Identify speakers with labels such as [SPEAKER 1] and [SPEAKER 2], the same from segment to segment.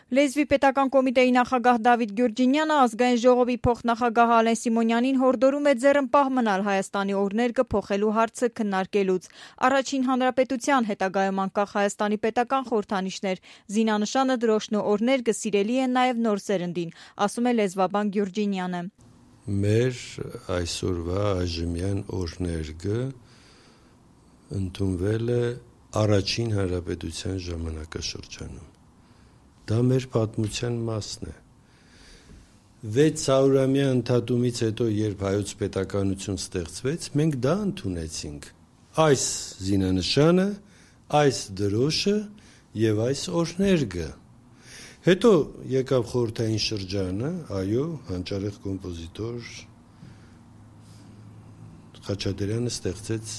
[SPEAKER 1] Լեզվի պետական կոմիտեի նախագահ Դավիթ Գյուրջինյանը ազգային ժողովի փոխնախագահ Ալեն Սիմոնյանին հորդորում է ձեռնպահ մնալ Հայաստանի օրհներգը փոխելու հարցը քննարկելուց։ Առաջին հանրապետության հետագայում անկախ Հայաստանի պետական խորհրդանիշներ, զինանշանը, դրոշն ու օրհներգը սիրելի են նաև նոր սերնդին, ասում է լեզվաբան Գյուրջինյանը։
[SPEAKER 2] Մեր այսօրվա այժմյան օրհներգը ընդունվել է առաջին հանրապետության ժամանակաշրջանում։ Դա մեր պատմության մասն է։ 600-ամյա ընդհատումից հետո, երբ հայոց պետականություն ստեղծվեց, մենք դա ընդունեցինք։ Այս զինանշանը, այս դրոշը եւ այս օրհներգը։ Հետո եկավ խորհրդային շրջանը, այո, հանճարեղ կոմպոզիտոր Խաչատրյանը ստեղծեց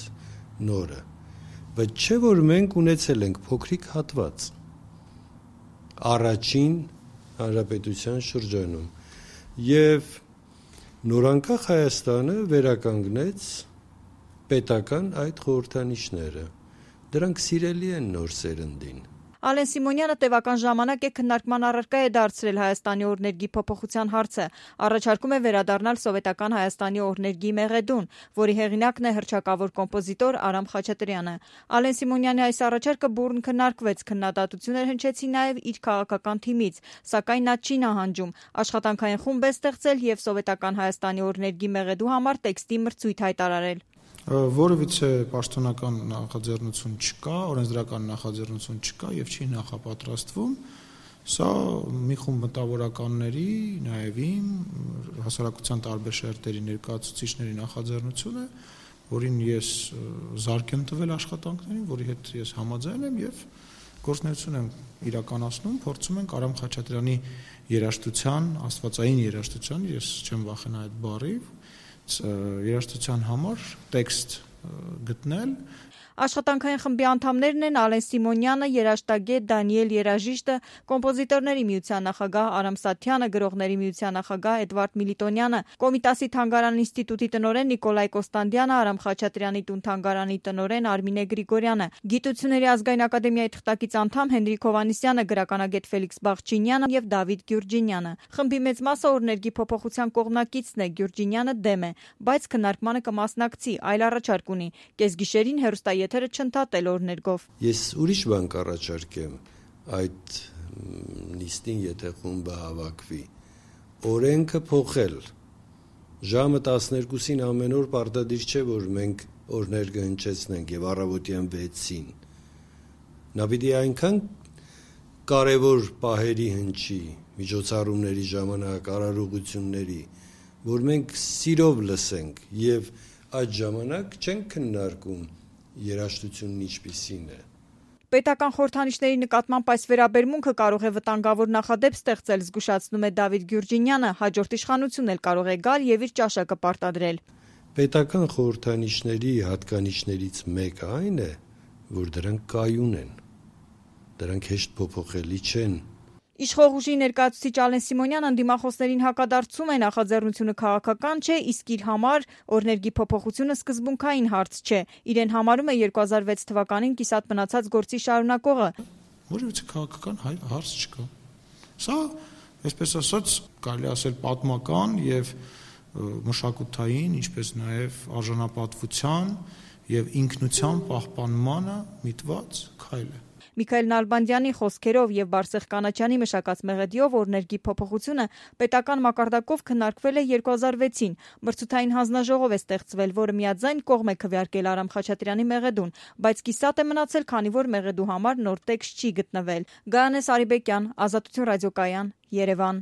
[SPEAKER 2] նորը։ Բայց չէ՞ որ մենք ունեցել ենք փոքրիկ հատված առաջին հանրապետության շրջանում եւ նորանկախ Հայաստանը վերականգնեց պետական այդ խորհրդանիշները։ Դրանք սիրելի են նոր սերնդին։
[SPEAKER 1] Ալեն Սիմոնյանը տևական ժամանակ է քննարկման առարկա է դարձրել Հայաստանի օրհներգի փոփոխության հարցը, առաջարկում է վերադառնալ սովետական Հայաստանի օրհներգի մեղեդուն, որի հեղինակն է հռչակավոր կոմպոզիտոր Արամ Խաչատրյանը։ Ալեն Սիմոնյանի այս առաջարկը բուռն քննարկվեց, քննադատություններ հնչեցին նաև իր քաղաքական թիմից, սակայն նա չի նահանջում, աշխատանքային խումբ է ստեղծել եւ սովետական Հայաստանի օրհներգի մեղեդու համար տեքստի մրցույթ հայտարարել։
[SPEAKER 3] Որևիցե պաշտոնական նախաձեռնություն չկա, օրենսդրական նախաձեռնություն չկա եւ չի նախապատրաստվում։ Սա մի խումբ մտավորականների, նաեւ իմ հասարակության տարբեր շերտերի ներկայացուցիչների նախաձեռնություն է, որին ես զարկ եմ տվել աշխատանքներին, որի հետ ես համաձայն եմ եւ գործունեություն եմ իրականացնում, փորձում ենք Արամ Խաչատրյանի երաժշտության, աստվածային երաժշտության, ես չեմ վախենա այդ բառից, երաժշտության համար տեքստ գտնել։
[SPEAKER 1] Աշխատանքային խմբի անդամներն են Ալեն Սիմոնյանը, երաժշտագետ Դանիել Երաժիշտը, կոմպոզիտորների միության նախագահ Արամ Սաթյանը, գրողների միության նախագահ Էդվարդ Միլիտոնյանը, Կոմիտասի թանգարան ինստիտուտի տնօրեն Նիկոլայ Կոստանդյանը, Արամ Խաչատրյանի տուն թանգարանի տնօրեն Արմինե Գրիգորյանը, Գիտությունների ազգային ակադեմիայի թղթակից անդամ Հենրիկ Հովհաննիսյանը, գրականագետ Ֆելիքս Բաղջինյանը եւ Դավիթ Գյուրջինյանը։ Խմբի մեծ մասը օրհներգի փոփոխության կողմնակիցն է, Գյուրջինյանը դեմ է, բայց քննարկմանը կմասնակցի, այլ առաջարկ ունի՝ կեսգիշերին հեռուստաեթերը չընդհատել օրհներգով։
[SPEAKER 2] Ես ուրիշ բան կառաջարկեմ այդ նիստին, եթե խումբը հավաքվի, օրենքը փոխել։ Ժամը 12-ին ամեն օր պարտադիր չէ, որ մենք օրհներգը հնչեցնենք եւ առավոտյան 6-ին։ Նա պիտի այնքան կարևոր պահերի հնչի, միջոցառումների ժամանակ, արարողությունների, որ մենք սիրով լսենք եւ այդ ժամանակ չենք քննարկում երաժշտությունն ինչպիսին է։
[SPEAKER 1] Պետական խորհրդանիշների նկատմամբ այս վերաբերմունքը կարող է վտանգավոր նախադեպ ստեղծել, զգուշացնում է Դավիթ Գյուրջինյանը, հաջորդ իշխանությունն էլ կարող է գալ եւ իր ճաշակը պարտադրել։
[SPEAKER 2] Պետական խորհրդանիշների հատկանիշներից մեկը այն է, որ դրանք կայուն են։ Դրանք հեշտ փոփոխելի չեն։
[SPEAKER 1] Իշխող ուժի ներկայացուցիչ Ալեն Սիմոնյանը ընդդիմախոսներին հակադարձում է նախաձեռնությունը քաղաքական չէ, իսկ իր համար օրհներգի փոփոխությունը սկզբունքային հարց չէ։ Իրեն համարում է 2006 թվականին կիսատ մնացած գործի շարունակողը։
[SPEAKER 3] Որևիցե քաղաքական հարց չկա։ Սա, այսպես ասած, կարելի ասել պատմական եւ մշակութային, ինչպես նաեւ արժանապատվության եւ ինքնության պահպանմանը միտված քայլ է։
[SPEAKER 1] Միքայել Նալբանդյանի խոսքերով եւ Բարսեղ Կանաչյանի մշակած մեղեդիով օրհներգի փոփոխությունը պետական մակարդակով քննարկվել է 2006-ին։ Մրցութային հանձնաժողով է ստեղծվել, որը միաձայն կողմ է քվեարկել Արամ Խաչատրյանի մեղեդուն, բայց կիսատ է մնացել, քանի որ մեղեդու համար նոր տեքստ չի գտնվել։ Գայանե Սարիբեկյան, Ազատություն ռադիոկայան, Երևան։